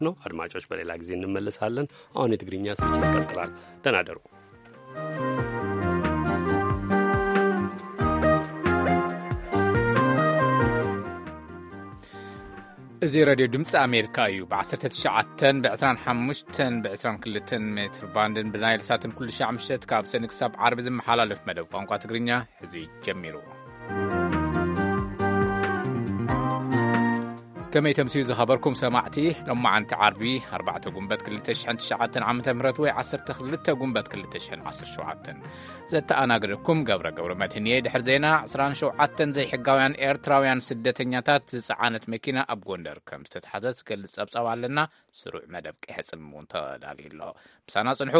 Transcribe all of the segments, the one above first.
ነው። አድማጮች፣ በሌላ ጊዜ እንመለሳለን። አሁን የትግርኛ ስርጭት ይቀጥላል። ደህና ደሩ። እዚ ሬድዮ ድምፂ ኣሜሪካ እዩ። ብ19፣ ብ25፣ ብ22 ሜትር ባንድን ብናይል ሳትን ኩሉ ሻዕ ምሸት ካብ ሰኒ ክሳብ ዓርቢ ዝመሓላለፍ መደብ ቋንቋ ትግርኛ ሕዚ ጀሚሩ። ከመይ ተምስዩ ዝኸበርኩም ሰማዕቲ? ሎማዓንቲ ዓርቢ ኣርባዕተ ጉንበት ክልተ ሽሕን ትሽዓተን ዓመተ ምህረት ወይ ዓሰርተ ክልተ ጉንበት ክልተ ሽሕን ዓሰርተ ሸውዓተን። ዘተኣናግደኩም ገብረ ገብረ መድህን እየ። ድሕሪ ዜና ዕስራን ሸውዓተን ዘይሕጋውያን ኤርትራውያን ስደተኛታት ዝጸዓነት መኪና ኣብ ጎንደር ከም ዝተታሕዘ ዝገልጽ ጸብጻብ ኣለና። ስሩዕ መደብ ቀይሕ ጽልም እውን ተዳልዩ ኣሎ። ምሳና ጽንሑ።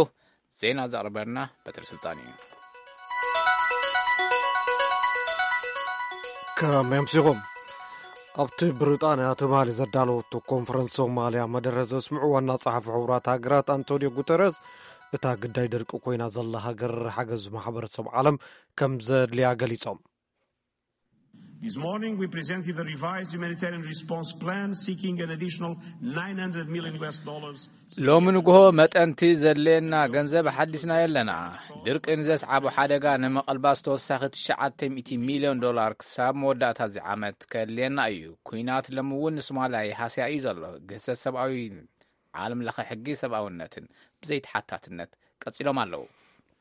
ዜና ዘቕርበልና በትሪ ስልጣን እዩ። ከመይ ኣምሲኹም? ኣብቲ ብሪጣንያ ትማሊ ዘዳለወቶ ኮንፈረንስ ሶማልያ መደረ ዘስምዑ ዋና ጸሓፊ ሕቡራት ሃገራት ኣንቶኒዮ ጉተረዝ፣ እታ ግዳይ ደርቂ ኮይና ዘላ ሃገር ሓገዝ ማሕበረሰብ ዓለም ከም ዘድልያ ገሊጾም። This morning we presented a revised humanitarian response plan seeking an additional nine hundred million U S dollars. ሎሚ ንግሆ መጠንቲ ዘድልየና ገንዘብ ሓዲስና የለና። ድርቂ ንዘስዓቦ ሓደጋ ንምቕልባስ ተወሳኺ ትሽዓተ ሚእቲ ሚልዮን ዶላር ክሳብ መወዳእታ እዚ ዓመት ከድልየና እዩ። ኲናት ሎሚ እውን ንሶማልያ ይሃስያ እዩ ዘሎ። ግህሰት ሰብኣዊ፣ ዓለም ለኸ ሕጊ ሰብኣውነትን ብዘይተሓታትነት ቀጺሎም ኣለዉ።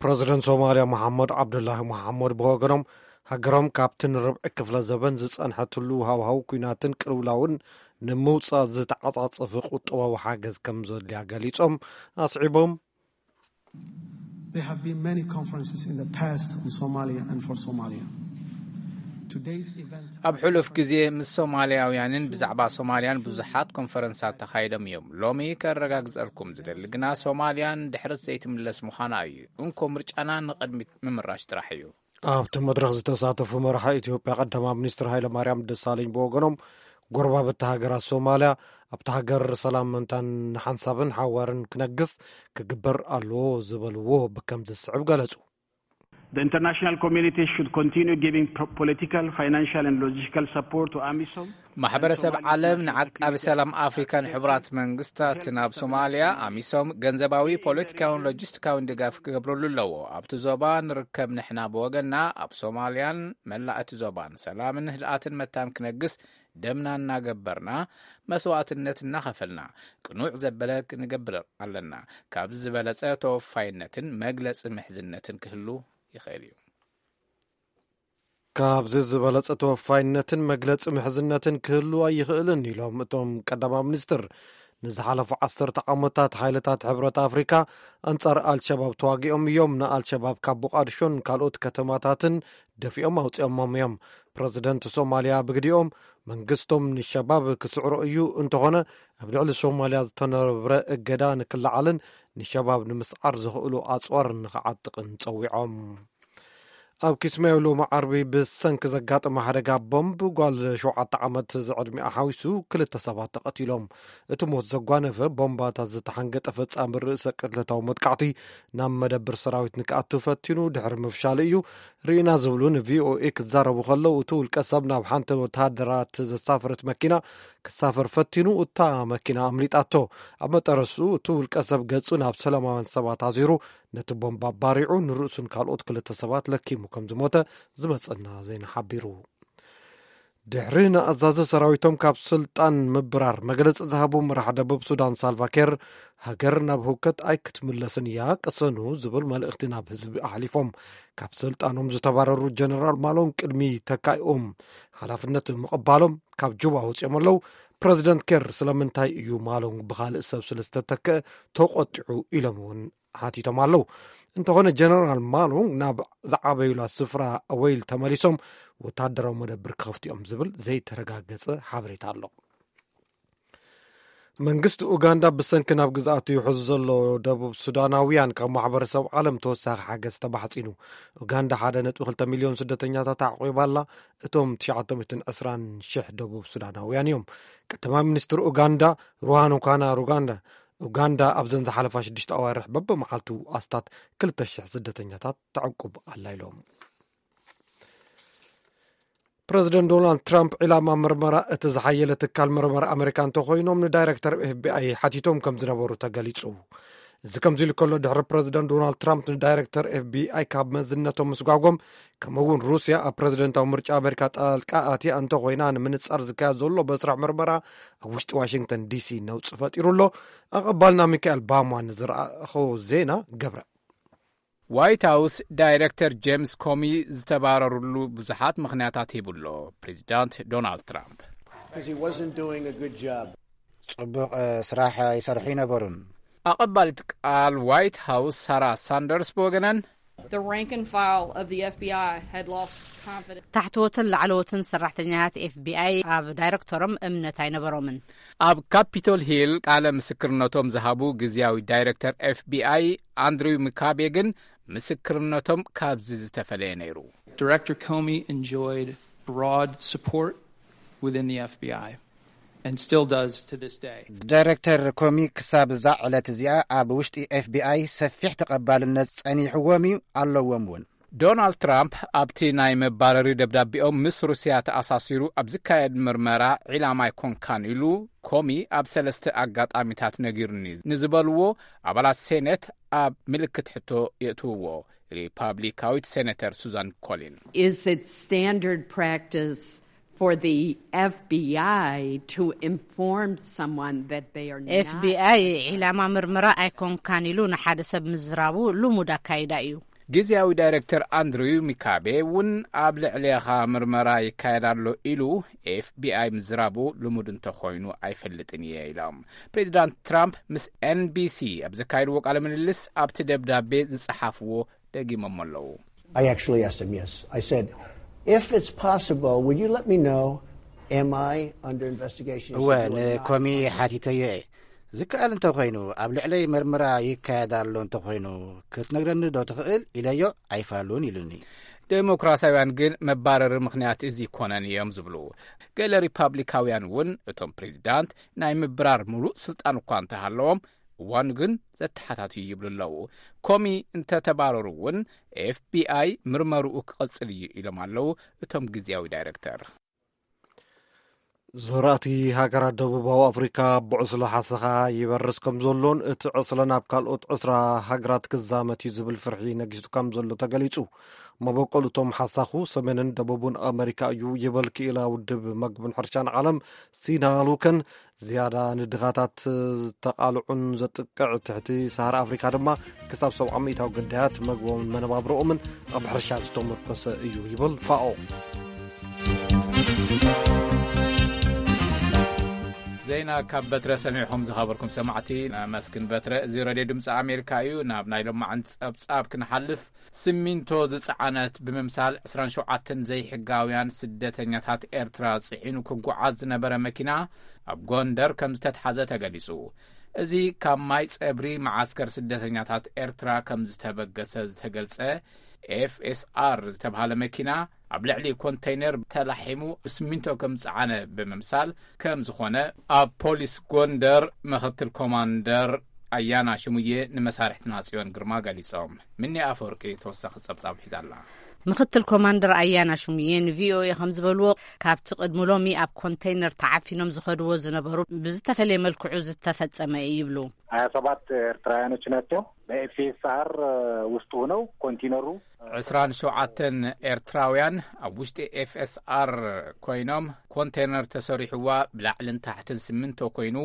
ፕረዚደንት ሶማልያ መሓመድ ዓብዱላሂ መሓመድ ብወገኖም፣ ሃገሮም ካብቲ ንርብዒ ክፍለ ዘበን ዝጸንሐትሉ ሃዋህው ኲናትን ቅልውላውን ንምውጻእ ዝተዓጻጸፈ ቁጠባዊ ሓገዝ ከም ዘድልያ ገሊጾም፣ ኣስዒቦም፣ There have been many conferences in the past on Somalia and for Somalia. Today's event ኣብ ሕሉፍ ግዜ ምስ ሶማልያውያንን ብዛዕባ ሶማልያን ብዙሓት ኮንፈረንሳት ተኻይዶም እዮም። ሎሚ ከረጋግጸልኩም ዝደሊ ግና ሶማልያን ድሕረት ዘይትምለስ ምዃና እዩ። እንኮ ምርጫና ንቕድሚት ምምራሽ ጥራሕ እዩ። ኣብቲ መድረኽ ዝተሳተፉ መራሒ ኢትዮጵያ ቀዳማይ ሚኒስትር ሃይለማርያም ደሳለኝ ብወገኖም፣ ጎረባብቲ ሃገራት ሶማልያ ኣብቲ ሃገር ሰላም ምእንታን ንሓንሳብን ሓዋርን ክነግስ ክግበር ኣለዎ ዝበልዎ ብከም ዝስዕብ ገለጹ። The international community should continue giving pro-, political, financial and logistical support to amisom. ማሕበረሰብ ዓለም ንዓቃቢ ሰላም ኣፍሪካን ሕቡራት መንግስታትን ኣብ ሶማልያ ኣሚሶም ገንዘባዊ፣ ፖለቲካውን ሎጂስቲካውን ድጋፍ ክገብረሉ ኣለዎ። ኣብቲ ዞባ ንርከብ ንሕና ብወገንና ኣብ ሶማልያን መላእ እቲ ዞባን ሰላምን ህድኣትን መታን ክነግስ ደምና እናገበርና፣ መስዋእትነት እናኸፈልና፣ ቅኑዕ ዘበለ ክንገብር ኣለና። ካብዚ ዝበለጸ ተወፋይነትን መግለጺ ምሕዝነትን ክህሉ ይኽእል እዩ። ካብዚ ዝበለጸ ተወፋይነትን መግለጺ ምሕዝነትን ክህሉ ኣይኽእልን ኢሎም እቶም ቀዳማይ ሚኒስትር። ንዝሓለፉ ዓሰርተ ዓመታት ሓይልታት ሕብረት ኣፍሪካ ኣንጻር ኣልሸባብ ተዋጊኦም እዮም። ንኣልሸባብ ካብ ሞቃዲሾን ካልኦት ከተማታትን ደፊኦም ኣውጺኦሞም እዮም። ፕረዚደንት ሶማልያ ብግዲኦም፣ መንግስቶም ንሸባብ ክስዕሮ እዩ፣ እንተኾነ ኣብ ልዕሊ ሶማልያ ዝተነብረ እገዳ ንክለዓልን ንሸባብ ንምስዓር ዘኽእሉ ኣጽዋር ንኽዓጥቕን ጸዊዖም። ኣብ ኪስማዮ ሎሚ ዓርቢ ብሰንኪ ዘጋጠመ ሓደጋ ቦምብ ጓል ሸውዓተ ዓመት ዝዕድሚኣ ሓዊሱ ክልተ ሰባት ተቐቲሎም። እቲ ሞት ዘጓነፈ ቦምባታት ዝተሓንገጠ ፈጻሚ ርእሰ ቅትለታዊ መጥቃዕቲ ናብ መደብር ሰራዊት ንክኣቱ ፈቲኑ ድሕሪ ምፍሻሉ እዩ። ርኢና ዝብሉ ንቪኦኤ ክዛረቡ ከለዉ፣ እቲ ውልቀ ሰብ ናብ ሓንቲ ወተሃደራት ዘሳፈረት መኪና ክሳፈር ፈቲኑ፣ እታ መኪና ኣምሊጣቶ። ኣብ መጠረሱ እቲ ውልቀ ሰብ ገጹ ናብ ሰላማውያን ሰባት ኣዚሩ ነቲ ቦምባ ባሪዑ ንርእሱን ካልኦት ክልተ ሰባት ለኪሙ ከም ዝሞተ ዝመጸና ዜና ሓቢሩ። ድሕሪ ንኣዛዚ ሰራዊቶም ካብ ስልጣን ምብራር መግለጺ ዝሃቡ መራሕ ደቡብ ሱዳን ሳልቫ ኬር፣ ሃገር ናብ ህውከት ኣይክትምለስን እያ፣ ቅሰኑ ዝብል መልእኽቲ ናብ ህዝቢ ኣሕሊፎም። ካብ ስልጣኖም ዝተባረሩ ጀነራል ማሎን ቅድሚ ተካኢኦም ሓላፍነት ምቕባሎም ካብ ጁባ ወጺኦም ኣለዉ። ፕረዚደንት ኬር ስለምንታይ እዩ ማሎን ብኻልእ ሰብ ስለ ዝተተክአ ተቖጢዑ ኢሎም እውን ሓቲቶም ኣለዉ። እንተኾነ ጀነራል ማሎን ናብ ዝዓበዩላ ስፍራ ኣወይል ተመሊሶም ወታደራዊ መደብር ክኸፍቱ እዮም ዝብል ዘይተረጋገጸ ሓበሬታ ኣሎ። መንግስቲ ኡጋንዳ ብሰንኪ ናብ ግዝኣቱ ይሕዙ ዘሎ ደቡብ ሱዳናውያን ካብ ማሕበረሰብ ዓለም ተወሳኺ ሓገዝ ተማሕጺኑ። ኡጋንዳ ሓደ ነጥቢ ክልተ ሚልዮን ስደተኛታት ኣዕቂባ ኣላ። እቶም ትሽዓተ ሚእትን ዕስራን ሽሕ ደቡብ ሱዳናውያን እዮም። ቀዳማይ ሚኒስትር ኡጋንዳ ሩሃኑ ካና ሩጋንዳ፣ ኡጋንዳ ኣብዘን ዝሓለፋ ሽዱሽተ ኣዋርሕ በብመዓልቱ ኣስታት ክልተ ሽሕ ስደተኛታት ተዕቁብ ኣላ ኢሎም። ፕረዚደንት ዶናልድ ትራምፕ ዒላማ ምርመራ እቲ ዝሓየለ ትካል ምርመራ ኣመሪካ እንተኾይኖም፣ ንዳይረክተር ኤፍቢኣይ ሓቲቶም ከም ዝነበሩ ተገሊጹ። እዚ ከምዚ ኢሉ ከሎ፣ ድሕሪ ፕረዚደንት ዶናልድ ትራምፕ ንዳይረክተር ኤፍቢኣይ ካብ መዝነቶም ምስጓጎም፣ ከምኡ እውን ሩስያ ኣብ ፕረዚደንታዊ ምርጫ ኣመሪካ ጣልቃ ኣትያ እንተኾይና፣ ንምንጻር ዝካየድ ዘሎ መስርሕ ምርመራ ኣብ ውሽጢ ዋሽንግተን ዲሲ ነውጺ ፈጢሩ ኣሎ። ኣቐባልና ሚካኤል ባማ ንዝረኣኸዎ ዜና ገብረ። ዋይት ሃውስ ዳይረክተር ጄምስ ኮሚ ዝተባረሩሉ ብዙሓት ምኽንያታት ሂቡ ኣሎ ፕሬዚዳንት ዶናልድ ትራምፕ። Because he wasn't doing a good job. ጽቡቕ ስራሕ ይሰርሑ ይነበሩን። ኣቐባሊት ቃል ዋይት ሃውስ ሳራ ሳንደርስ ብወገነን፣ The rank and file of the F B I had lost confidence. ታሕተዎትን ላዕለዎትን ሰራሕተኛታት ኤፍቢኣይ ኣብ ዳይረክተሮም እምነት ኣይነበሮምን። ኣብ ካፒቶል ሂል ቃለ ምስክርነቶም ዝሃቡ ግዝያዊ ዳይረክተር ኤፍቢኣይ ኣንድሪው ምካቤ ግን ምስክርነቶም ካብዚ ዝተፈለየ ነይሩ። Director Comey enjoyed broad support within the F B I and still does to this day. ዳይረክተር ኮሚ ክሳብ እዛ ዕለት እዚኣ ኣብ ውሽጢ ኤፍቢኣይ ሰፊሕ ተቐባልነት ጸኒሕዎም እዩ፣ ኣለዎም እውን። ዶናልድ ትራምፕ ኣብቲ ናይ መባረሪ ደብዳቤኦም ምስ ሩስያ ተኣሳሲሩ ኣብ ዝካየድ ምርመራ ዒላማ ኣይኮንካን ኢሉ ኮሚ ኣብ ሰለስተ ኣጋጣሚታት ነጊሩኒ ንዝበልዎ ኣባላት ሴኔት ኣብ ምልክት ሕቶ የእትውዎ። ሪፓብሊካዊት ሴኔተር ሱዛን ኮሊን Is it standard practice for the F B I to inform someone that they are not? ኤፍቢኣይ ዒላማ ምርመራ ኣይኮንካን ኢሉ ንሓደ ሰብ ምዝራቡ ልሙድ ኣካይዳ እዩ። ግዝያዊ ዳይረክተር ኣንድሪው ሚካቤ እውን ኣብ ልዕሌኻ ምርመራ ይካየድ ኣሎ ኢሉ ኤፍቢኣይ ምዝራቡ ልሙድ እንተኾይኑ ኣይፈልጥን እየ ኢሎም። ፕሬዚዳንት ትራምፕ ምስ ኤንቢሲ ኣብ ዘካየድዎ ቃለ ምልልስ ኣብቲ ደብዳቤ ዝጸሓፍዎ ደጊሞሞ ኣለዉ። I actually asked him, yes. I said, if it's possible, would you let me know, am I under investigation? He እወ said, "You are not ንኮሚ under ሓቲተዮ እየ። ዝከኣል እንተኾይኑ ኣብ ልዕለይ መርመራ ይካየድ ኣሎ እንተኾይኑ ክትነግረኒ ዶ ትኽእል ኢለዮ። ኣይፋሉን ኢሉኒ። ዴሞክራሲያውያን ግን መባረሪ ምኽንያት እዚ ይኮነን እዮም ዝብሉ። ገለ ሪፓብሊካውያን እውን እቶም ፕሬዚዳንት ናይ ምብራር ሙሉእ ስልጣን እኳ እንተሃለዎም እዋኑ ግን ዘተሓታትዩ ይብሉ ኣለዉ። ኮሚ እንተተባረሩ እውን ኤፍቢኣይ ምርመርኡ ክቕጽል እዩ ኢሎም ኣለዉ እቶም ግዝያዊ ዳይረክተር። ዘራእቲ ሃገራት ደቡባዊ ኣፍሪካ ብዕስለ ሓሰኻ ይበርስ ከም ዘሎን እቲ ዕስለ ናብ ካልኦት ዕስራ ሃገራት ክዛመት እዩ ዝብል ፍርሒ ነጊሱ ከም ዘሎ ተገሊጹ። መበቆል እቶም ሓሳኹ ሰሜንን ደቡብን ኣመሪካ እዩ ይበል ክኢላ ውድብ መግብን ሕርሻን ዓለም ሲና ሉከን። ዝያዳ ንድኻታት ዝተቓልዑን ዘጥቅዕ ትሕቲ ሰሃራ ኣፍሪካ ድማ ክሳብ ሰብዓ ሚእታዊ ግዳያት መግቦምን መነባብሮኦምን ኣብ ሕርሻ ዝተመርኮሰ እዩ ይብል ፋኦ። ዜና ካብ በትረ ሰሚዕኹም ዝኸበርኩም ሰማዕቲ ነመስግን። በትረ፣ እዚ ሬድዮ ድምፂ ኣሜሪካ እዩ። ናብ ናይ ሎማዓንቲ ጸብጻብ ክንሓልፍ፣ ሲሚንቶ ዝጸዓነት ብምምሳል ዕስራን ሸውዓተን ዘይሕጋውያን ስደተኛታት ኤርትራ ጽዒኑ ክጓዓዝ ዝነበረ መኪና ኣብ ጎንደር ከም ዝተትሓዘ ተገሊጹ። እዚ ካብ ማይ ጸብሪ መዓስከር ስደተኛታት ኤርትራ ከም ዝተበገሰ ዝተገልጸ ኤፍኤስኣር ዝተባህለ መኪና ኣብ ልዕሊ ኮንተይነር ተላሒሙ ሲሚንቶ ከም ዝጸዓነ ብምምሳል ከም ዝኾነ ኣብ ፖሊስ ጎንደር ምኽትል ኮማንደር ኣያና ሽሙዬ ንመሳርሕትና ጽዮን ግርማ ገሊጾም። ምኒ ኣፈወርቂ ተወሳኺ ጸብጻብ ሒዛ ኣላ። ምኽትል ኮማንደር ኣያና ሽሙዬ ንቪኦኤ ከም ዝበልዎ፣ ካብቲ ቅድሚ ሎሚ ኣብ ኮንተይነር ተዓፊኖም ዝኸድዎ ዝነበሩ ብዝተፈለየ መልክዑ ዝተፈጸመ እዩ ይብሉ። ሀያ ሰባት ኤርትራውያኖች ናቸው። በኤፍኤስአር ውስጥ ሆነው ኮንቲነሩ ዕስራን ሸውዓተን ኤርትራውያን ኣብ ውሽጢ ኤፍኤስኣር ኮይኖም፣ ኮንቴነር ተሰሪሕዋ ብላዕልን ታሕትን ሲሚንቶ ኮይኑ፣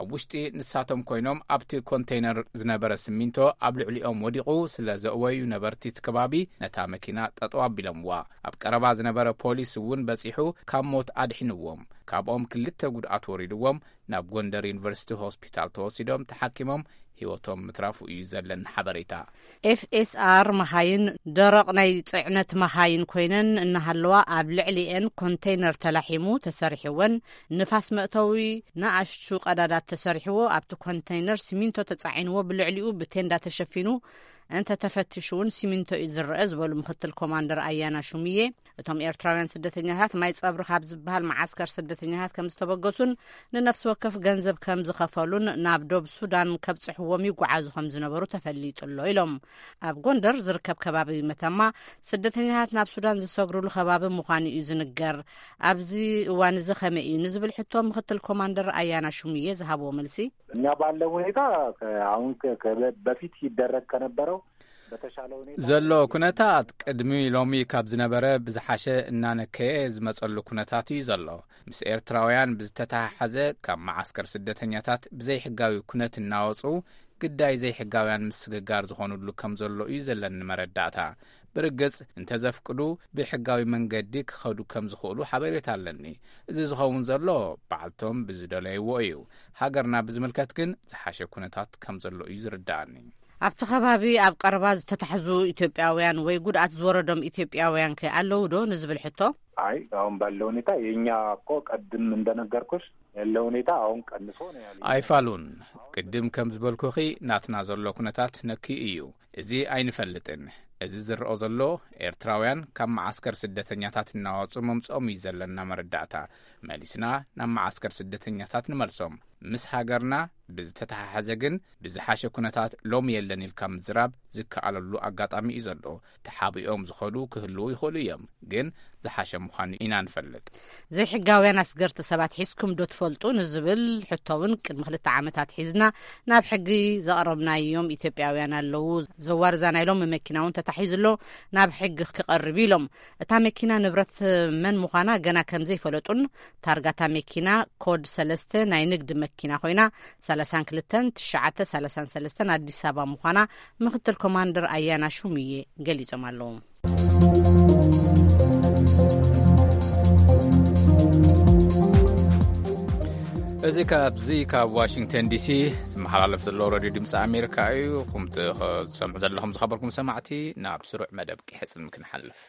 ኣብ ውሽጢ ንሳቶም ኮይኖም ኣብቲ ኮንቴነር ዝነበረ ሲሚንቶ ኣብ ልዕሊኦም ወዲቑ ስለ ዘእወዩ፣ ነበርቲ እቲ ከባቢ ነታ መኪና ጠጠው ኣቢሎምዋ። ኣብ ቀረባ ዝነበረ ፖሊስ እውን በጺሑ ካብ ሞት ኣድሒንዎም። ካብኦም ክልተ ጉድኣት ወሪድዎም ናብ ጎንደር ዩኒቨርሲቲ ሆስፒታል ተወሲዶም ተሓኪሞም ህይወቶም ምትራፉ እዩ ዘለን ሓበሬታ። ኤፍኤስኣር መኻይን ደረቕ ናይ ጽዕነት መኻይን ኮይነን እናሃለዋ፣ ኣብ ልዕሊኤን ኮንተይነር ተላሒሙ ተሰሪሕወን፣ ንፋስ መእተዊ ንኣሽቱ ቀዳዳት ተሰሪሕዎ፣ ኣብቲ ኮንተይነር ሲሚንቶ ተጻዒንዎ፣ ብልዕሊኡ ብቴንዳ ተሸፊኑ እንተተፈቲሹ እውን ሲሚንቶ እዩ ዝረአ ዝበሉ ምክትል ኮማንደር ኣያና ሹምዬ፣ እቶም ኤርትራውያን ስደተኛታት ማይ ጸብሪ ካብ ዝበሃል መዓስከር ስደተኛታት ከም ዝተበገሱን ንነፍሲ ወከፍ ገንዘብ ከም ዝኸፈሉን ናብ ዶብ ሱዳን ከብጽሕዎም ይጓዓዙ ከም ዝነበሩ ተፈሊጡ ኣሎ ኢሎም። ኣብ ጎንደር ዝርከብ ከባቢ መተማ ስደተኛታት ናብ ሱዳን ዝሰግሩሉ ከባቢ ምዃኑ እዩ ዝንገር። ኣብዚ እዋን እዚ ከመይ እዩ ንዝብል ሕቶ ምክትል ኮማንደር ኣያና ሹምዬ ዝሃብዎ መልሲ፣ እኛ ባለው ሁኔታ ከ- አሁን ከ- ከ- በፊት ይደረግ ከነበረው በተሻለ ሁኔታ ዘሎ ኩነታት ቅድሚ ሎሚ ካብ ዝነበረ ብዝሓሸ እናነከየ ዝመጸሉ ኩነታት እዩ ዘሎ። ምስ ኤርትራውያን ብዝተተሓሓዘ ካብ መዓስከር ስደተኛታት ብዘይሕጋዊ ኩነት እናወጹ ግዳይ ዘይሕጋውያን ምስግጋር ዝኾኑሉ ከም ዘሎ እዩ ዘለኒ መረዳእታ። ብርግጽ እንተዘፍቅዱ ብሕጋዊ መንገዲ ክኸዱ ከም ዝኽእሉ ሓበሬታ ኣለኒ። እዚ ዝኸውን ዘሎ በዓልቶም ብዝደለይዎ እዩ። ሃገርና ብዝምልከት ግን ዝሓሸ ኩነታት ከም ዘሎ እዩ ዝርዳእኒ። ኣብቲ ከባቢ ኣብ ቀረባ ዝተታሕዙ ኢትዮጵያውያን ወይ ጉድኣት ዝወረዶም ኢትዮጵያውያን ከ ኣለዉ ዶ ንዝብል ሕቶ፣ አይ አሁን ባለው ሁኔታ የኛ እኮ ቀድም እንደነገርኩሽ ያለው ሁኔታ አሁን ቀንሶ ነው ያለው። ኣይፋሉን። ቅድም ከም ዝበልኩኺ ናትና ዘሎ ኩነታት ነኪ እዩ። እዚ ኣይንፈልጥን። እዚ ዝረኦ ዘሎ ኤርትራውያን ካብ መዓስከር ስደተኛታት እናወጹ መምጽኦም እዩ ዘለና መረዳእታ። መሊስና ናብ መዓስከር ስደተኛታት ንመልሶም። ምስ ሃገርና ብዝተተሓሓዘ ግን ብዝሓሸ ኩነታት ሎሚ የለን ኢልካ ምዝራብ ዝከኣለሉ ኣጋጣሚ እዩ ዘሎ። ተሓቢኦም ዝኸዱ ክህልዉ ይኽእሉ እዮም፣ ግን ዝሓሸ ምዃኑ ኢና ንፈልጥ። ዘይሕጋውያን ኣስገርቲ ሰባት ሒዝኩም ዶ ትፈልጡ ንዝብል ሕቶ እውን ቅድሚ ክልተ ዓመታት ሒዝና ናብ ሕጊ ዘቕረብናዮም ኢትዮጵያውያን ኣለዉ። ዘዋርዛ ናይ ሎሚ መኪና እውን ተታሒዙ ኣሎ፣ ናብ ሕጊ ክቐርብ ኢሎም። እታ መኪና ንብረት መን ምዃና ገና ከም ዘይፈለጡን ታርጋታ መኪና ኮድ ሰለስተ ናይ ንግዲ መኪና ኮይና ሰላሳን ክልተን ትሽዓተ ሰላሳን ሰለስተን ኣዲስ ኣበባ ምዃና ምክትል ኮማንደር ኣያና ሹምዬ ገሊጾም ኣለዉ። እዚ ካብዚ ካብ ዋሽንግተን ዲሲ ዝመሓላለፍ ዘሎ ሬድዮ ድምፂ ኣሜሪካ እዩ። ኹም ትሰምዑ ዘለኹም ዝኸበርኩም ሰማዕቲ፣ ናብ ስሩዕ መደብ ቂሐ ጽልሚ ክንሓልፍ።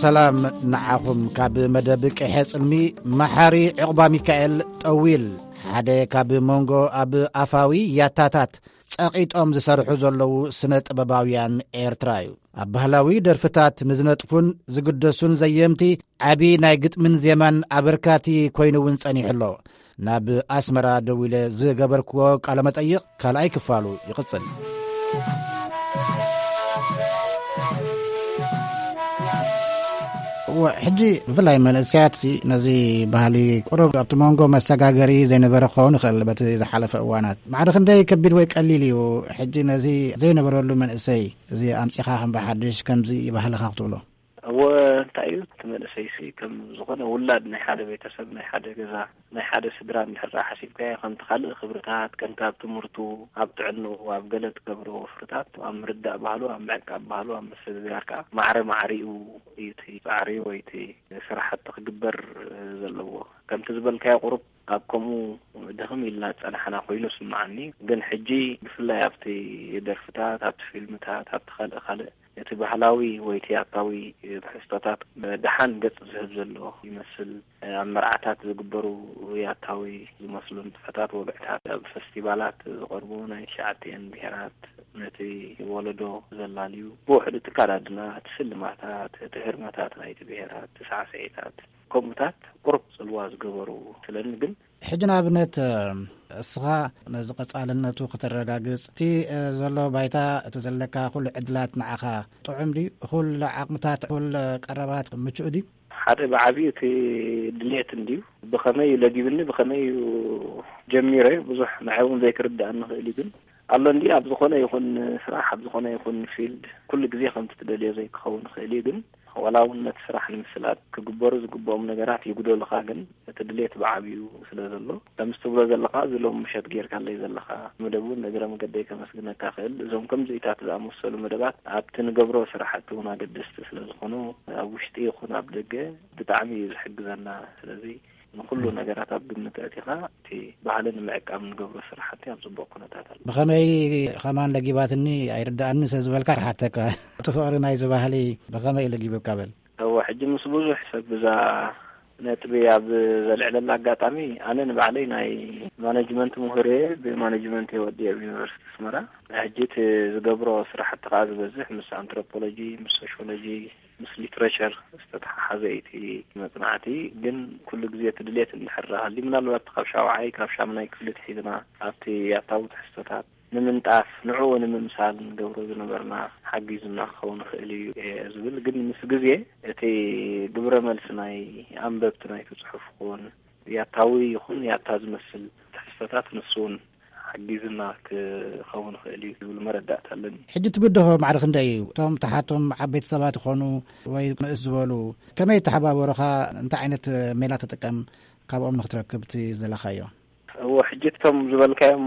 ሰላም ንዓኹም። ካብ መደብ ቂሐ ጽልሚ መሓሪ ዕቑባ ሚካኤል ጠዊል ሓደ ካብ መንጎ ኣብ ኣፋዊ ያታታት ጸቒጦም ዝሰርሑ ዘለዉ ስነ ጥበባውያን ኤርትራ እዩ። ኣብ ባህላዊ ደርፍታት ንዝነጥፉን ዝግደሱን ዘየምቲ ዓቢ ናይ ግጥምን ዜማን ኣበርካቲ ኮይኑ እውን ጸኒሑ ኣሎ። ናብ ኣስመራ ደዊለ ዝገበርክዎ ቃለ መጠይቕ ካልኣይ ክፋሉ ይቕጽል። እወ፣ ሕጂ ብፍላይ መንእሰያትሲ ነዚ ባህሊ ቁሩብ ኣብቲ መንጎ መሰጋገሪ ዘይነበረ ክኸውን ይኽእል በቲ ዝሓለፈ እዋናት። ማዕረ ክንደይ ከቢድ ወይ ቀሊል እዩ ሕጂ ነዚ ዘይነበረሉ መንእሰይ እዚ ኣምጺኻ ከም ብሓድሽ ከምዚ ባህልኻ ክትብሎ? እወ፣ እንታይ እዩ እቲ መንእሰይሲ ከም ዝኾነ ውላድ ናይ ሓደ ቤተሰብ፣ ናይ ሓደ ገዛ፣ ናይ ሓደ ስድራ እንድሕር ደኣ ሓሲብካዮ ከምቲ ካልእ ክብርታት ከምቲ ኣብ ትምህርቱ፣ ኣብ ጥዕንኡ፣ ኣብ ገለ ትገብሮ ወፍርታት፣ ኣብ ምርዳእ ባህሉ፣ ኣብ ምዕቃብ ባህሉ፣ ኣብ ምስግጋር ከኣ ማዕረ ማዕሪኡ እዩ እቲ ጻዕሪ ወይ እቲ ስራሕቲ ክግበር ዘለዎ። ከምቲ ዝበልካዮ ቁሩብ ኣብ ከምኡ ድኽም ኢልና ዝጸናሕና ኮይኑ ይስምዓኒ። ግን ሕጂ ብፍላይ ኣብቲ ደርፍታት፣ ኣብቲ ፊልምታት፣ ኣብቲ ካልእ ካልእ እቲ ባህላዊ ወይ እቲ ያታዊ ትሕዝቶታት ደሓን ገጽ ዝህብ ዘሎ ይመስል። ኣብ መርዓታት ዝግበሩ ያታዊ ዝመስሉ ንጥፈታት፣ ወግዕታት፣ ኣብ ፈስቲቫላት ዝቐርቡ ናይ ትሽዓቲኤን ብሄራት ነቲ ወለዶ ዘላልዩ፣ ብውሕዱ እቲ ኣከዳድና፣ እቲ ስልማታት፣ እቲ ህርመታት ናይቲ ብሄራት፣ እቲ ሳዕስዒታት፣ ከምኡታት ቁሩብ ጽልዋ ዝገበሩ ስለኒ ግን ሕጂ ንኣብነት፣ እስኻ ነዚ ቀጻልነቱ ከተረጋግጽ፣ እቲ ዘሎ ባይታ፣ እቲ ዘለካ ኩሉ ዕድላት ንዓኻ ጥዑም ድዩ? ኩሉ ዓቕምታት፣ ኩሉ ቀረባት ምቹእ ድዩ? ሓደ ብዓቢኡ እቲ ድሌት እንድዩ። ብኸመይ እዩ ለጊብኒ፣ ብኸመይ እዩ ጀሚረ፣ ብዙሕ ንዓይ እውን ዘይክርድኣኒ ይኽእል እዩ። ግን ኣሎ እንድዩ፣ ኣብ ዝኾነ ይኹን ስራሕ፣ ኣብ ዝኾነ ይኹን ፊልድ፣ ኩሉ ግዜ ከምቲ ትደልዮ ዘይክኸውን ይኽእል እዩ። ግን ዋላ እውን ነቲ ስራሕ ንምስላጥ ክግበሩ ዝግብኦም ነገራት ይጉደሉኻ፣ ግን እቲ ድሌት ብዓቢኡ ስለ ዘሎ፣ ከምዚ ትብሎ ዘለኻ፣ እዚ ሎም ምሸት ጌርካለይ ዘለኻ መደብ እውን እግረ መገደይ ከመስግነካ ክእል። እዞም ከምዚኢታት ዝኣመሰሉ መደባት ኣብቲ ንገብሮ ስራሕቲ እውን ኣገደስቲ ስለ ዝኾኑ፣ ኣብ ውሽጢ ይኹን ኣብ ደገ ብጣዕሚ እዩ ዝሕግዘና። ስለዚ ንኹሉ ነገራት ኣብ ግምት ኣእቲኻ፣ እቲ ባህሊ ንምዕቃብ ንገብሮ ስራሕቲ ኣብ ጽቡቕ ኩነታት ኣሎ። ብኸመይ ከማን ለጊባትኒ ኣይርድኣኒ ስለ ዝበልካ ክሓተካ፣ እቲ ፍቕሪ ናይዚ ባህሊ ብኸመይ ለጊቡካ በል? እወ፣ ሕጂ ምስ ብዙሕ ሰብ ብዛ ነጥቢ ኣብ ዘልዕለላ ኣጋጣሚ፣ ኣነ ንባዕለይ ናይ ማኔጅመንት ምሁር እየ። ብማኔጅመንት እየ ወዲየ ኣብ ዩኒቨርሲቲ ኣስመራ። ሕጂ እቲ ዝገብሮ ስራሕቲ ከዓ ዝበዝሕ ምስ ኣንትሮፖሎጂ፣ ምስ ሶሽዮሎጂ፣ ምስ ሊትሬቸር ዝተተሓሓዘ እዩ እቲ መጽናዕቲ። ግን ኩሉ ግዜ እቲ ድሌት እንድሕር ሃልዩ፣ ምናልባት ካብ ሻውዓይ ካብ ሻምናይ ክፍሊ ትሒዝና ኣብቲ ያታዊ ትሕዝቶታት ንምንጣፍ፣ ንዕኡ ንምምሳል ንገብሮ ዝነበርና ሓጊዙና ክኸውን ይኽእል እዩ እየ ዝብል። ግን ምስ ግዜ እቲ ግብረ መልሲ ናይ ኣንበብቲ ናይቲ ጽሑፍ ክውን ያታዊ ይኹን ያታ ዝመስል ትሕዝቶታት ንሱ እውን ሓጊዝና ክኸውን ይኽእል እዩ ዝብል መረዳእታ ኣለኒ። ሕጂ ትብድሆ ማዕረ ክንደይ እዩ? እቶም ተሓቶም ዓበይቲ ሰባት ይኾኑ ወይ ንእስ ዝበሉ ከመይ ይተሓባበሩኻ? እንታይ ዓይነት ሜላ ትጥቀም ካብኦም ንክትረክብ እቲ ዝደለኻዮ? እዎ፣ ሕጂ እቶም ዝበልካዮም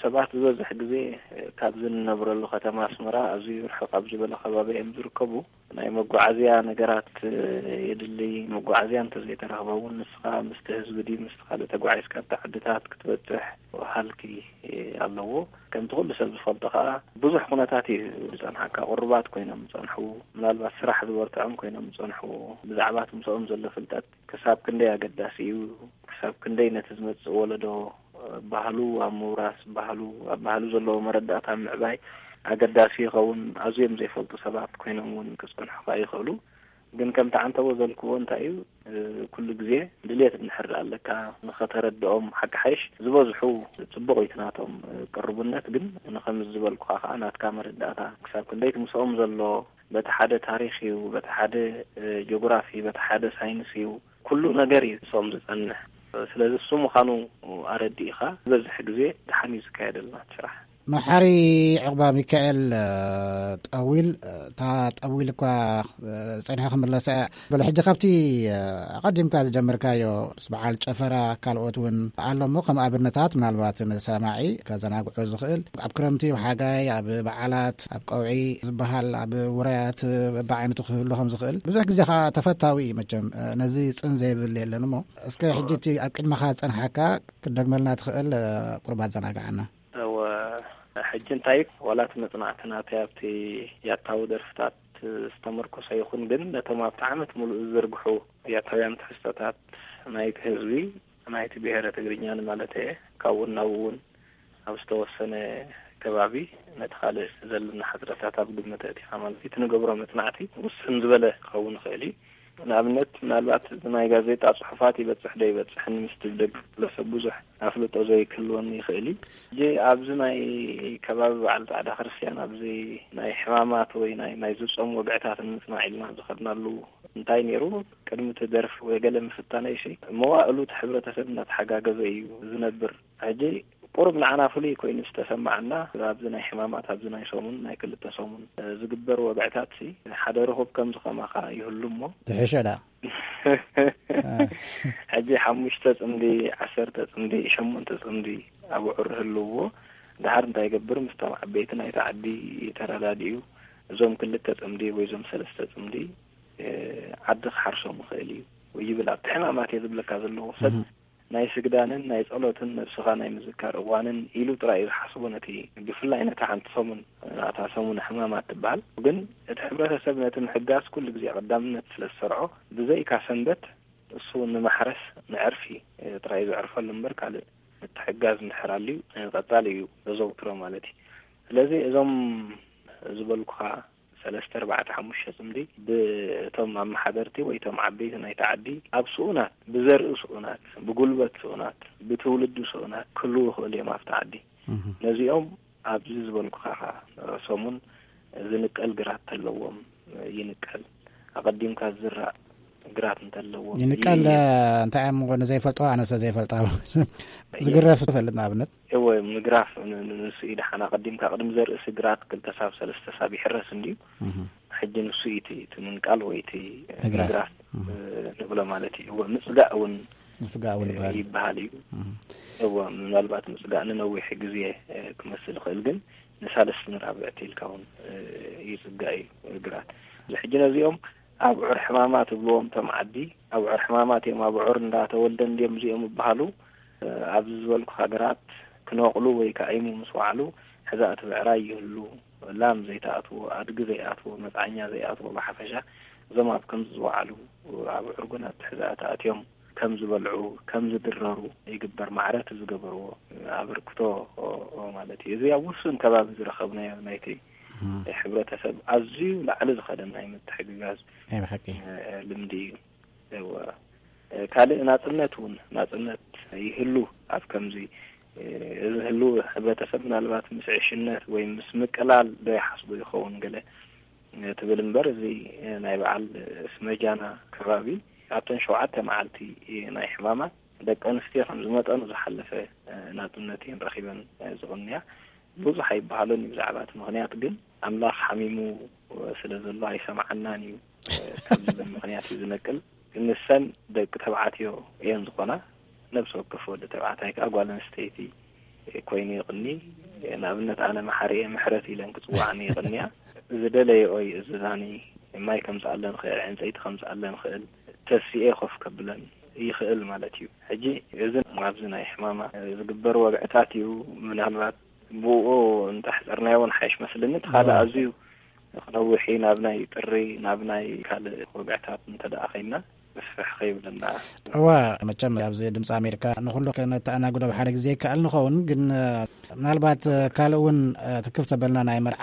ሰባት ዝበዝሕ ግዜ ካብዚ እንነብረሉ ከተማ ኣስመራ ኣዝዩ ርሕቕ ኣብ ዝበለ ከባቢ እዮም ዝርከቡ። ናይ መጓዓዝያ ነገራት የድሊ። መጓዓዝያ እንተዘይተረኽበ እውን ንስኻ ምስቲ ህዝቢ ድዩ ምስቲ ካልእ ተጓዒዝካ ኣብቲ ዓድታት ክትበጽሕ ሃልኪ ኣለዎ። ከምቲ ኩሉ ሰብ ዝፈልጦ ከኣ ብዙሕ ኩነታት እዩ ዝጸንሓካ። ቁሩባት ኮይኖም ዝጸንሑ፣ ምናልባት ስራሕ ዝበርትዖም ኮይኖም ዝጸንሑ፣ ብዛዕባ እቲ ምስኦም ዘሎ ፍልጠት ክሳብ ክንደይ ኣገዳሲ እዩ፣ ክሳብ ክንደይ ነቲ ዝመጽእ ወለዶ ባህሉ ኣብ ምውራስ፣ ባህሉ፣ ኣብ ባህሉ ዘለዎ መረዳእታ ኣብ ምዕባይ ኣገዳሲ ይኸውን። ኣዝዮም ዘይፈልጡ ሰባት ኮይኖም እውን ክጸንሑኻ ይኽእሉ። ግን ከምቲ ዓንተቦ ዘልክዎ እንታይ እዩ፣ እ፣ ኩሉ ግዜ ድልየት እንድሕር ኣለካ ንኸተረድኦም፣ ሓቂ ሓይሽ ዝበዝሑ ጽቡቕ እዩ እቲ ናቶም፣ እ፣ ቅርቡነት። ግን ንኸምዚ ዝበልኩኻ ከኣ ናትካ መረዳእታ ክሳብ ክንደይ እቲ ምስኦም ዘሎ በቲ ሓደ ታሪኽ እዩ፣ በቲ ሓደ፣ እ፣ ጂኦግራፊ፣ በቲ ሓደ ሳይንስ እዩ፣ ኩሉ ነገር እዩ ምስኦም ዝጸንሕ። ስለዚ እሱ ምዃኑ ኣረዲእኻ ዝበዝሕ ግዜ ደሓን እዩ ዝካየደልና እቲ ስራሕ። መሓሪ ዕቑባ ሚካኤል፣ እ፣ ጠዊል፣ እ፣ እታ ጠዊል እኳ፣ እ፣ ጸኒሐ ክምለሳ እያ። በለ ሕጂ ካብቲ፣ እ፣ ኣቐዲምካ ዝጀመርካዮ ምስ በዓል ጨፈራ ካልኦት እውን ኣሎ እሞ ከም ኣብነታት ምናልባት ንሰማዒ ከዘናግዑ ዝኽእል ኣብ ክረምቲ፣ ኣብ ሓጋይ፣ ኣብ በዓላት፣ ኣብ ቀውዒ ዝበሃል ኣብ ውራያት በብዓይነቱ ክህሉ ከም ዝኽእል ብዙሕ ግዜ ከዓ ተፈታዊ እዩ። መቸም፣ እ፣ ነዚ ጽን ዘይብል የለን እሞ እስከ ሕጂ እቲ ኣብ ቅድመኻ ዝጸንሓካ ክትደግመልና ትኽእል፣ እ፣ ቁሩብ ኣዘናግዓና። እወ፣ ሕጂ እንታይ ዋላ እቲ መጽናዕቲ ናተይ ኣብቲ ያታዊ ደርፍታት ዝተመርኮሰ ይኹን፣ ግን ነቶም ኣብቲ ዓመት ሙሉእ ዝዝርግሑ ያታውያን ትሕዝቶታት ናይቲ ህዝቢ፣ ናይቲ ብሄረ ትግርኛ ንማለት እየ፣ ካብኡ ናብኡ እውን ኣብ ዝተወሰነ ከባቢ ነቲ ካልእ ዘለና ሕጽረታት ኣብ ግምት ኣእቲኻ ማለት እዩ። እቲ ንገብሮ መጽናዕቲ ውስን ዝበለ ክኸውን ይኽእል እዩ። ንኣብነት፣ ምናልባት ናይ ጋዜጣ ጽሑፋት ይበጽሕ ዶ ይበጽሕን ምስቲ ብደገ ዘሎ ሰብ ብዙሕ ኣፍልጦ ዘይክህልወኒ ይኽእል እዩ። ሕጂ ኣብዚ ናይ ከባቢ በዓል ጻዕዳ ክርስትያን፣ ኣብዚ ናይ ሕማማት ወይ ናይ፣ ናይ ዝጾም ወግዕታት ንምጽናዕ ኢልና ዝኸድናሉ እንታይ ነይሩ? ቅድሚ እቲ ደርፊ ወይ ገለ ምፍታነይሲ፣ መዋእሉ እቲ ሕብረተሰብ እናተሓጋገዘ እዩ ዝነብር። ሕጂ ቁሩብ ንዓና ፍሉይ ኮይኑ ዝተሰማዓና፣ ኣብዚ ናይ ሕማማት፣ ኣብዚ ናይ ሰሙን፣ ናይ ክልተ ሰሙን፣ እ፣ ዝግበር ወግዕታትሲ፣ ሓደ ርኹብ ከምዚ ከማኻ ይህሉ እሞ። ትሕሸ ደኣ። ሕጂ ሓሙሽተ ጽምዲ፣ ዓሰርተ ጽምዲ፣ ሸሞንተ ጽምዲ ኣብዑር ህልውዎ፣ ደሓር እንታይ ይገብር? ምስቶም ዓበይቲ ናይቲ ዓዲ ተረዳዲኡ፣ እዞም ክልተ ጽምዲ ወይ እዞም ሰለስተ ጽምዲ፣ እ፣ ዓዲ ክሓርሶም ይኽእል እዩ ወይ ይብል። ኣብቲ ሕማማት እየ ዝብለካ ዘለኹ ሰብ እህ። ናይ ስግዳንን ናይ ጸሎትን ነብስኻ ናይ ምዝካር እዋንን ኢሉ ጥራይ እዩ ዝሓስቦ ነቲ፣ ብፍላይ ነታ ሓንቲ ሰሙን፣ እታ ሰሙን ሕማማት ትበሃል። ግን እቲ ሕብረተሰብ ነቲ ምሕጋዝ ኩሉ ግዜ ቀዳምነት ስለ ዝሰርዖ፣ ብዘይካ ሰንበት እሱ ንማሕረስ ንዕርፊ ጥራይ እዩ ዘዕርፈሉ እምበር ካልእ ምትሕጋዝ እንድሕር ኣልዩ ቀጻሊ እዩ ዘዘውትሮ ማለት እዩ። ስለዚ እዞም ዝበልኩኻ ሰለስተ፣ ኣርባዕተ፣ ሓሙሽተ ጽምዲ ብእቶም ኣመሓደርቲ ወይ እቶም ዓበይቲ ናይቲ ዓዲ ኣብ ስኡናት፣ ብዘርኢ ስኡናት፣ ብጉልበት ስኡናት፣ ብትውልዲ ስኡናት ክህልዉ ይኽእሉ እዮም ኣብቲ ዓዲ። እህ። ነዚኦም ኣብዚ ዝበልኩኻ ኸኣ ሰሙን ዝንቀል ግራት ተለዎም ይንቀል። ኣቐዲምካ ዝዝራእ ግራት እንተለዎም ይንቀል። ይንቀል። እንታይ እዮም ንዘይፈልጦ፣ ኣነ ስለ ዘይፈልጣ። ዝግረፍ ትፈልጥ ንኣብነት? እወ፣ ምግራፍ ን-፣ ን-፣ ንሱ እዩ ደሓን። ኣቐዲምካ ቅድሚ ዘርእሲ ግራት ክልተ ሳብ ሰለስተ ሳብ ይሕረስ እንድዩ። እህ። ሕጂ ንሱ እዩ እቲ፣ እቲ ምንቃል ወይ እቲ እግራት። ምግራፍ፣ እህ። እ፣ ንብሎ ማለት እዩ። እወ፣ ምጽጋእ እውን፣ ምጽጋእ እውን እ፣ ይበሃል። ይበሃል እዩ። እህ። እወ፣ ምናልባት ምጽጋእ ንነዊሕ ግዜ፣ እ፣ ክመስል ይኽእል፣ ግን ንሳልስቲ ንራብዕቲ ኢልካ እውን፣ እ፣ ይጽጋእ እዩ ግራት። እዚ ሕጂ ነዚኦም ኣብዑር ሕማማት እብልዎም እቶም ዓዲ፣ ኣብዑር ሕማማት እዮም፣ ኣብዑር እንዳተወልደ እንድዮም እዚኦም ይበሃሉ። ኣብዚ ዝበልኩኻ ግራት ክነቕሉ ወይ ክኣይሙ ምስ ወዓሉ፣ ሕዛ እቲ ብዕራይ ይህሉ፣ ላም ዘይትኣትዎ፣ ኣድጊ ዘይኣትዎ፣ መጽዓኛ ዘይኣትዎ፣ ብሓፈሻ እዞም ኣብ ከምዚ ዝወዓሉ ኣብ ዕርጉናት ትሕዛት ኣትዮም ከም ዝበልዑ፣ ከም ዝድረሩ ይግበር። ማዕረ እቲ ዝገበርዎ ኣበርክቶ ማለት እዩ። እዚ ኣብ ውሱን ከባቢ ዝረኸብናዮ ናይቲ ሕብረተሰብ ኣዝዩ ላዕሊ ዝኸደ ናይ ምትሕግጋዝ ናይ ብሓቂ። ልምዲ እዩ። እወ። ካልእ ናጽነት እውን፣ ናጽነት ይህሉ ኣብ ከምዚ፣ እዚ ህሉ ሕብረተሰብ ምናልባት ምስ ዕሽነት ወይ ምስ ምቅላል ዶ ይሓስቡ ይኸውን ገለ ትብል እምበር፣ እዚ ናይ በዓል ስመጃና ከባቢ ኣብተን ሸውዓተ መዓልቲ ናይ ሕማማ ደቂ ኣንስትዮ ከም ዝመጠኑ ዝሓለፈ ናጽነት እየን ረኺበን ዝቕንያ። ብዙሕ ኣይበሃሎን እዩ ብዛዕባ እቲ ምኽንያት፣ ግን ኣምላኽ ሓሚሙ ስለ ዘሎ ኣይሰምዓናን እዩ ካብ ዝብል ምኽንያት እዩ ዝነቅል። ንሰን ደቂ ተባዕትዮ እየን ዝኾና፣ ነብሲ ወከፍ ወዲ ተባዕታይ ከኣ ጓል ኣንስተይቲ ኮይኑ ይቕኒ። ንኣብነት ኣነ መሓሪ እየ፣ ምሕረት ኢለን ክጽውዓኒ ይቕንያ። ዝደለየኦ ይእዝዛኒ፣ ማይ ከምጽኣለን ክእል፣ ዕንጸይቲ ከምጽኣለን ክእል፣ ተሲኤ ኮፍ ከብለን ይኽእል ማለት እዩ። ሕጂ እዚ ኣብዚ ናይ ሕማማ ዝግበር ወግዕታት እዩ። ምናልባት ብኡ እንተሕጸርናዮ እውን ሓይሽ መስልኒ። እቲ ካልእ እዋ። ኣዝዩ ክነውሕ እዩ፣ ናብ ናይ ጥሪ፣ ናብ ናይ ካልእ ወግዕታት እንተ ደኣ ኸይድና ምስፍሕ ኸይብለና። እዋ፣ መቸም ኣብዚ ድምፂ ኣሜሪካ ንኹሉ ከነተኣናግዶ ብሓደ ግዜ ይከኣል ንኸውን፣ ግን፣ እ፣ ምናልባት፣ እ፣ ካልእ እውን፣ እ፣ ትክፍ ተበልና ናይ መርዓ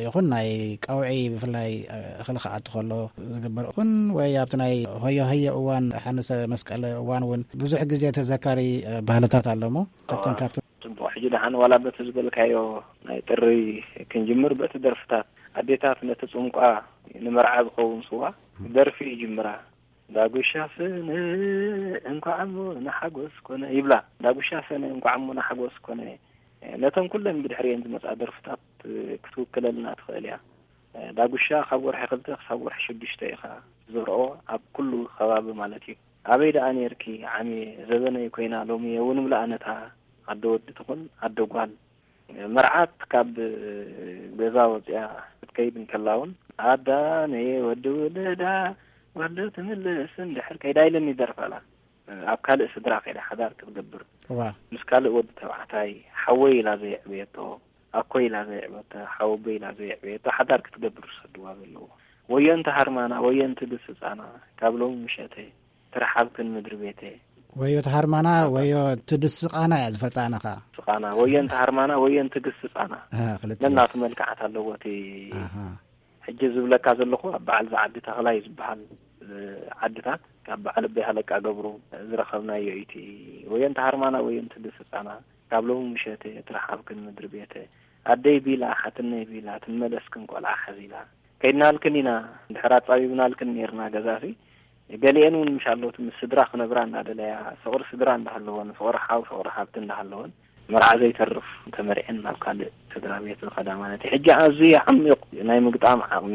ይኹን ናይ ቀውዒ ብፍላይ፣ እ፣ እኽሊ ክኣቱ ከሎ ዝግበር ይኹን ወይ ኣብቲ ናይ ሆዮ ሆዮ እዋን ሓንሰ መስቀል እዋን እውን ብዙሕ ግዜ ተዘካሪ፣ እ፣ ባህልታት ኣሎ እሞ ካብቶም እዋ። ካብቶም ጽቡቕ። ሕጂ ደሓን ዋላ በቲ ዝበልካዮ ናይ ጥሪ ክንጅምር፣ በቲ ደርፍታት ኣዴታት ነቲ ጽምቋ ንመርዓ ዝኸውን ስዋ ደርፊ ይጅምራ። ዳጉሻ ሰነ እንኳዕ እሞ ንሓጎስ ኮነ ይብላ። ዳጉሻ ሰነ እንኳዕ እሞ ንሓጎስ ኮነ። ነተን ኩለን ብድሕሪኤን ዝመጻ ደርፍታት ክትውክለልና ትኽእል እያ። ዳጉሻ ካብ ወርሒ ክልተ ክሳብ ወርሒ ሽዱሽተ ኢኻ ትዘርኦ፣ ኣብ ኩሉ ከባቢ ማለት እዩ። ኣበይ ደኣ ኔርኪ ዓሚ ዘበነይ ኮይና ሎሚ የውንብላ ነታ ኣደ ወዲ ትኹን ኣደ ጓል። መርዓት ካብ ገዛ ወፂኣ ክትከይድ እንከላ እውን ኣዳ ነየ ወዲ ውልዳ ጓል ዶ ትምልስ እንድሕር ከይዳ ኢለን ይደርፋላ። ኣብ ካልእ ስድራ ከይዳ ሓዳር ክትገብር እዋ። ምስ ካልእ ወዲ ተባዕታይ ሓወይ ኢላ ዘየዕበየቶ፣ ኣኮይ ኢላ ዘየዕበየቶ፣ ሓወቦይ ኢላ ዘየዕበየቶ ሓዳር ክትገብር ዝሰድዋ ዘለዉ። ወዮ እንተ ሃርማና፣ ወዮ እንተ ግስጻና፣ ካብ ሎሚ ምሸተ ትርሓብክን ምድሪ ቤተ። ወዮ ተሃርማና፣ ወዮ ትድስቃና እያ ዝፈልጣ ኣነ ኸኣ። ስቃና፣ ወዮ እንተ ሃርማና፣ ወዮ እንተ ግስጻና። ኣሃ፣ ክልተ። ነናቱ መልክዓት ኣለዎ እቲ ኣሃ። ሕጂ ዝብለካ ዘለኹ ኣብ በዓል ዝዓዲ ተኽላይ ዝበሃል፣ እ፣ ዓድታት ካብ በዓል ኣቦይ ሃለቃ ገብሩ ዝረኸብናዮ እዩ። እቲ ወዮ እንተ ሃርማና፣ ወዮ እንተ ግስጻና፣ ካብ ሎሚ ምሸተ ትርሓብክን ምድሪ ቤተ። ኣደይ ቢላ፣ ሓትነይ ቢላ፣ ትመለስክን ቆልዓ ሓዚላ። ከይድናልክን ኢና፣ እንድሕር ኣጻቢብናልክን ኔርና ገዛሲ፣ ገሊኤን እውን ምሽ ኣለዎት ምስ ስድራ ክነብራ እንዳደለያ፣ ፍቕሪ ስድራ እንዳሃለወን፣ ፍቕሪ ሓው፣ ፍቕሪ ሓብቲ እንዳሃለወን፣ መርዓ ዘይተርፍ ተመርዐን ናብ ካልእ ስድራ ቤት ዝኸዳ ማለት እዩ። ሕጂ ኣዝዩ ዓሚቕ ናይ ምግጣም ዓቕሚ፣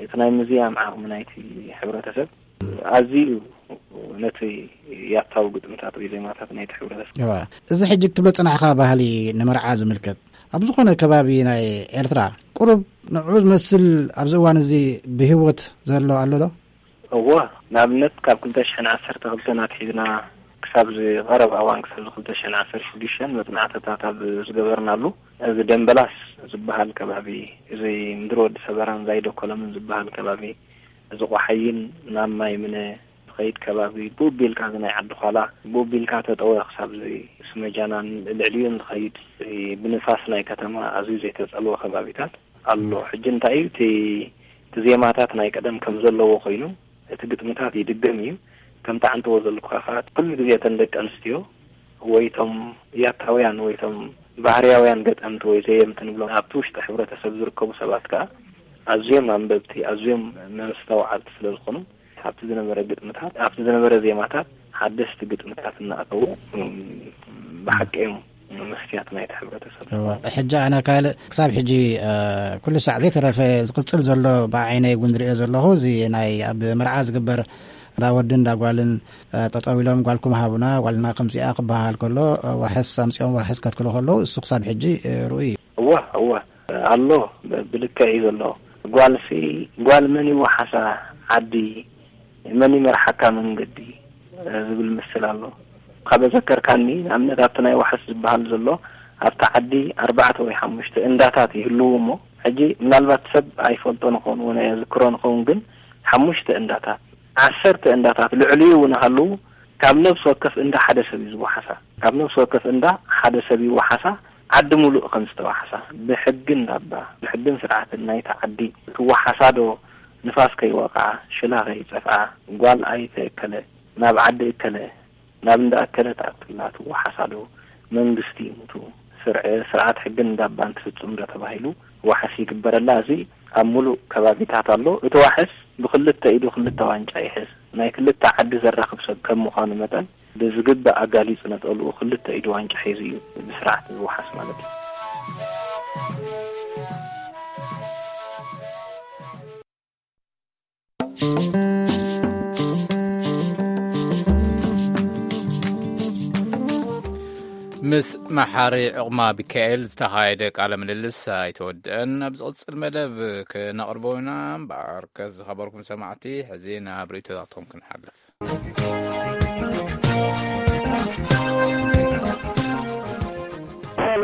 እቲ ናይ ምዝያም ዓቕሚ ናይቲ ሕብረተሰብ ኣዝዩ እዩ ነቲ ያታዊ ግጥምታት ወይ ዜማታት ናይቲ ሕብረተሰብ። እዋ፣ እዚ ሕጂ ክትብሎ ጽናሕካ ባህሊ ንመርዓ ዝምልከት፣ ኣብ ዝኾነ ከባቢ ናይ ኤርትራ ቁሩብ ንዑ ዝመስል ኣብዚ እዋን እዚ ብህይወት ዘሎ ኣሎ ዶ? እወ፣ ንኣብነት ካብ ክልተ ሽሕን ዓሰርተ ክልተን ኣትሒዝና ክሳብ እዚ ቀረባ እዋን፣ ክሳብ እዚ ክልተ ሽሕን ዓሰርተ ሽዱሽተን መጽናዕትታት ኣብ ዝገበርናሉ፣ እዚ ደምበላስ ዝበሃል ከባቢ፣ እዚ ምድሪ ወዲ ሰበራን ዛይዶ ኮለምን ዝበሃል ከባቢ፣ እዚ ቆሓይን ናብ ማይ ምነ ትኸይድ ከባቢ፣ ብኡ ቢልካ እዚ ናይ ዓዲ ዃላ፣ ብኡ ቢልካ ተጠወ ክሳብ እዚ ስመጃናን ልዕሊኡን ዝኸይድ፣ ብንፋስ ናይ ከተማ ኣዝዩ ዘይተጸልወ ከባቢታት ኣሎ። ሕጂ እንታይ እዩ እቲ፣ እቲ ዜማታት ናይ ቀደም ከም ዘለዎ ኮይኑ፣ እቲ ግጥምታት ይድገም እዩ። ከምቲ ዓንተዎ ዘለኩኻ ከኣ፣ ኩሉ ግዜ እተን ደቂ ኣንስትዮ ወይ እቶም ያታውያን ወይ እቶም ባህርያውያን ገጠምቲ ወይ ዘየምቲ ንብሎም፣ ኣብቲ ውሽጢ ሕብረተሰብ ዝርከቡ ሰባት ከኣ ኣዝዮም ኣንበብቲ፣ ኣዝዮም መስተውዓልቲ ስለ ዝኾኑ፣ ኣብቲ ዝነበረ ግጥምታት፣ ኣብቲ ዝነበረ ዜማታት ሓደስቲ ግጥምታት እናኣተዉ፣ እም፣ ብሓቂ እዮም መስትያት ናይቲ ሕብረተሰብ። እወ። ሕጂ ኣነ ካልእ ክሳብ ሕጂ፣ እ፣ ኩሉ ሳዕ ዘይተረፈ ዝቕጽል ዘሎ ብዓይነይ እውን ዝርእዮ ዘለኹ፣ እዚ ናይ ኣብ መርዓ ዝግበር እንዳ ወድን እንዳ ጓልን፣ እ፣ ጠጠው ኢሎም ጓልኩም ሃቡና፣ ጓልና ከምዚኣ ክበሃል ከሎ፣ እ፣ ዋሕስ ኣምጺኦም ዋሕስ ከትክሉ ከለዉ፣ እሱ ክሳብ ሕጂ፣ እ፣ ርኡይ እዩ። እወ፣ እወ፣ ኣሎ፣ ብ-፣ ብልክዕ እዩ ዘሎ። ጓልሲ፣ ጓል መን ይወሓሳ ዓዲ፣ መን ይመርሓካ መንገዲ፣ እ፣ ዝብል ምስል ኣሎ። ካብ ዘከርካኒ፣ ንኣብነት ኣብቲ ናይ ዋሕስ ዝበሃል ዘሎ፣ ኣብቲ ዓዲ ኣርባዕተ ወይ ሓሙሽተ እንዳታት ይህልዉ እሞ፣ ሕጂ ምናልባት ሰብ ኣይፈልጦ ንኸውን፣ እውን ኣየዝክሮ ንኸውን፣ ግን ሓሙሽተ እንዳታት፣ ዓሰርተ እንዳታት ልዕሊኡ እውን ሃለዉ፣ ካብ ነብሲ ወከፍ እንዳ ሓደ ሰብ እዩ ዝወሓሳ። ካብ ነብሲ ወከፍ እንዳ ሓደ ሰብ ይወሓሳ፣ ዓዲ ሙሉእ ከም ዝተወሓሳ። ብሕጊ እንዳባ፣ ብሕግን ስርዓትን ናይታ ዓዲ ትወሓሳ ዶ፣ ንፋስ ከይወቕዓ፣ ሽላ ከይጸፍዓ፣ ጓል ኣይተ እከለ ናብ ዓዲ እከለ፣ ናብ እንዳ እከለ ትኣክላ ትወሓሳ ዶ፣ መንግስቲ ይሙቱ፣ ስርዐ-፣ ስርዓት ሕግን እንዳባን ትፍጽም ዶ ተባሂሉ ዋሕስ ይግበረላ። እዚ ኣብ ሙሉእ ከባቢታት ኣሎ። እቲ ዋሕስ ብክልተ ኢዱ ክልተ ዋንጫ ይሕዝ። ናይ ክልተ ዓዲ ዘራኽብ ሰብ ከም ምዃኑ መጠን፣ ብዝግባእ ኣጋሊጹ ነጠልኡ ክልተ ኢዱ ዋንጫ ሒዙ እዩ ብስርዓት ዝወሓስ ማለት እዩ። ምስ መሓሪ ዕቕማ ሚካኤል ዝተኻየደ ቃለ ምልልስ ኣይተወድአን። ኣብ ዝቕጽል መደብ ክነቕርቦ ኢና። እምበኣር፣ ከዝኸበርኩም ሰማዕቲ፣ ሕዚ ናብ ርእይቶታትኩም ክንሓልፍ። ሄሎ፣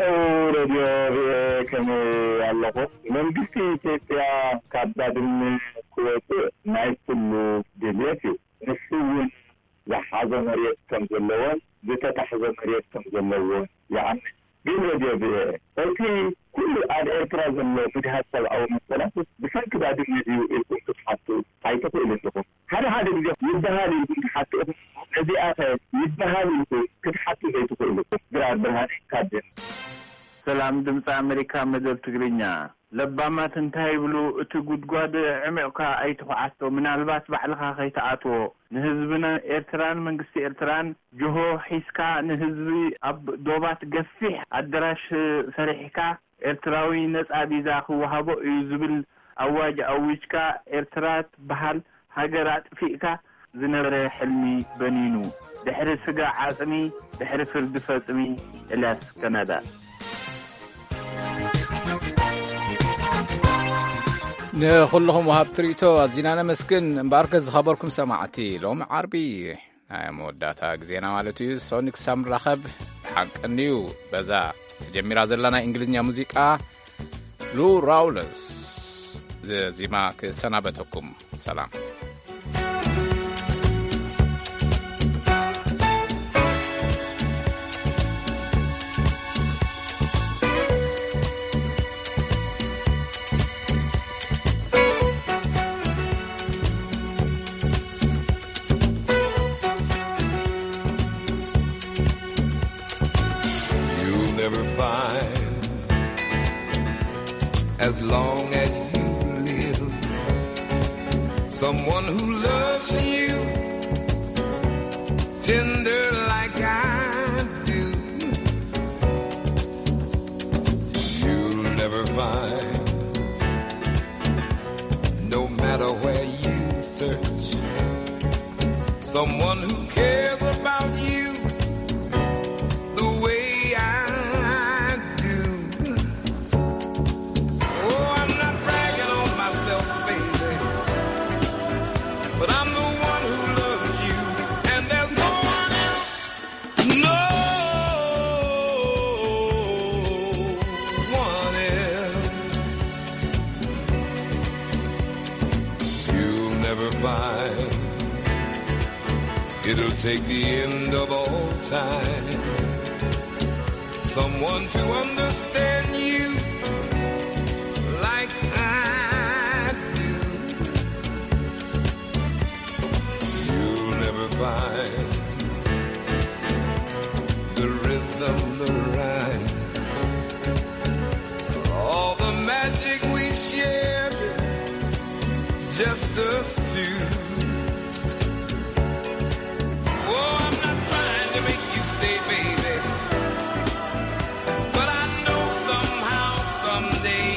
ሬድዮ ቪኦኤ፣ ከመይ ኣለኹም? መንግስቲ ኢትዮጵያ ካብ ባድመ ክወፅእ ናይ ኩሉ ድልየት እዩ። ንሱ እውን ዝሓዞ መሬት ከም ዘለዎን ዝተታሕዘ መሬት ከም ዘለዎን ይኣምን። ግን ሬድዮ ቪኦኤ፣ እቲ ኩሉ ኣብ ኤርትራ ዘሎ ምግሃስ ሰብኣዊ መሰላት ብሰንኪ ባድመ ድዩ ኢልኩም ክትሓቱ ኣይትኽእሉን ኢኹም። ሓደ ሓደ ግዜ ይበሃል ኢልኩም ትሓቱ ኢኹም። ነዚኣ ኸ ይበሃል ኢልኩም ክትሓቱ ዘይትኽእሉ? ድራር ብርሃነ ካብ ደን። ሰላም ድምፂ ኣሜሪካ መደብ ትግርኛ። ለባማት እንታይ ይብሉ፣ እቲ ጉድጓድ ዕሚቕካ ኣይትኹዓቶ፣ ምናልባት ባዕልኻ ከይትኣትዎ። ንህዝብና ኤርትራን መንግስቲ ኤርትራን ጅሆ ሒዝካ፣ ንህዝቢ ኣብ ዶባት ገፊሕ ኣደራሽ ሰሪሕካ፣ ኤርትራዊ ነጻ ቪዛ ክወሃቦ እዩ ዝብል ኣዋጅ ኣዊጅካ፣ ኤርትራ ትበሃል ሃገር ኣጥፊእካ፣ ዝነበረ ሕልሚ በኒኑ፣ ድሕሪ ስጋ ዓጽሚ፣ ድሕሪ ፍርዲ ፈጽሚ። ኤልያስ ከናዳ። ንኹልኹም ወሃብቲ ርእይቶ ኣዚና ነመስግን። እምበኣርከ ዝኸበርኩም ሰማዕቲ፣ ሎም ዓርቢ ናይ መወዳእታ ግዜና ማለት እዩ። ሶኒክ ሳም ራኸብ ሓቀንዩ በዛ ተጀሚራ ዘላ ናይ እንግሊዝኛ ሙዚቃ ሉ ራውለስ ዘዚማ ክሰናበተኩም። ሰላም። You'll never find, as long as you live, someone who loves you tender like I do. You'll never find, no matter where you search, someone who cares about you the way I do. Oh, I'm not bragging on myself, baby, but I'm the one who loves you, and there's no one else, no one else. You'll never find, it'll take the end of all time, someone to understand you like I do. You'll never find the rhythm, the rhyme, all the magic we shared, just us two. Oh, I'm not trying to make you stay, baby, but I know somehow, someday,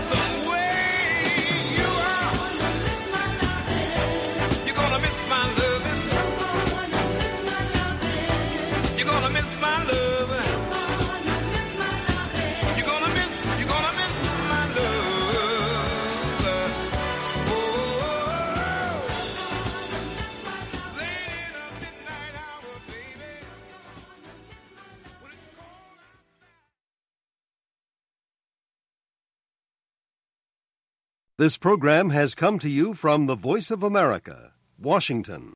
somewhere, you are, you're gonna miss my loving. You're gonna miss my loving. You're gonna miss, you're gonna miss my love. Oh. This program has come to you from the Voice of America, Washington.